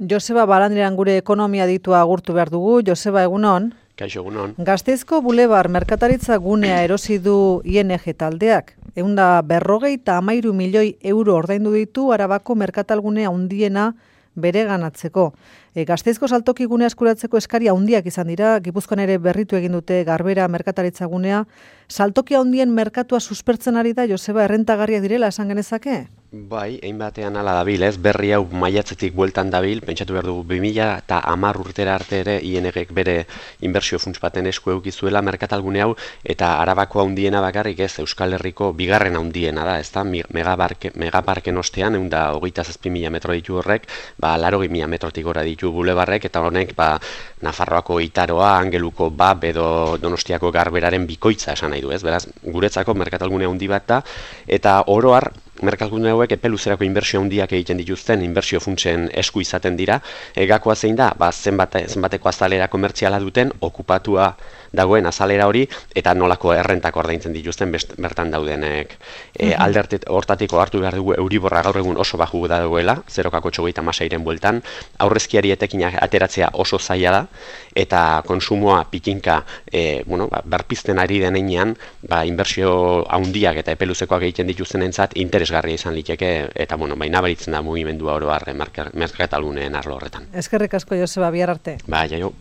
Joseba Barandiaran gure ekonomia aditua agurtu behar dugu. Joseba, egunon. Kaixo, egunon. Gasteizko Bulebar merkataritza gunea erosi du ING taldeak. 153 milioi euro ordaindu ditu Arabako merkatalgunea handiena bereganatzeko. Gasteizko saltoki gunea eskuratzeko eskari handiak izan dira, Gipuzkoan ere berritu egin dute Garbera merkataritza gunea. Saltoki handien merkatua suspertzen ari da, Joseba, errentagarriak direla esan genezake? Bai, hainbatean hala dabil, ez? Berri hau maiatzetik bueltan dabil, pentsatu behar dugu 2010 urtera arte ere INGek bere inbertsio funts baten esku eukizuela merkatalgune hau, eta Arabako handiena bakarrik ez, Euskal Herriko bigarren handiena da, ezta? Megaparken ostean, 127.000 metro ditu horrek, 80.000 metrotik gora ditu bulebarrek, eta honek Nafarroako Itaroa, Angeluko BAB edo Donostiako Garberaren bikoitza esan nahi du, ez? Beraz, guretzako merkatalgune handi bat da, eta oro har merkatalgune hauek epe luzerako inbertsio handiak egiten dituzten inbertsio funtsen esku izaten dira. Gakoa zein da, zenbateko azalera komertziala duten, okupatua dagoen azalera hori, eta nolako errentako ordaintzen dituzten bertan daudenek. Hortatiko hartu behar dugu Euriborra gaur egun oso baju dagoela, 0,86ren bueltan, aurrezkiari etekinak ateratzea oso zaila da, eta konsumoa pikinka berpizten ari denean, inbertsio handiak eta epe luzekoak egiten dituztenentzat interesgarria izan liteke, eta nabaritzen da mugimendua oro har merkatalguneen arlo horretan. Eskerrik asko, Joseba, bihar arte. Jaio.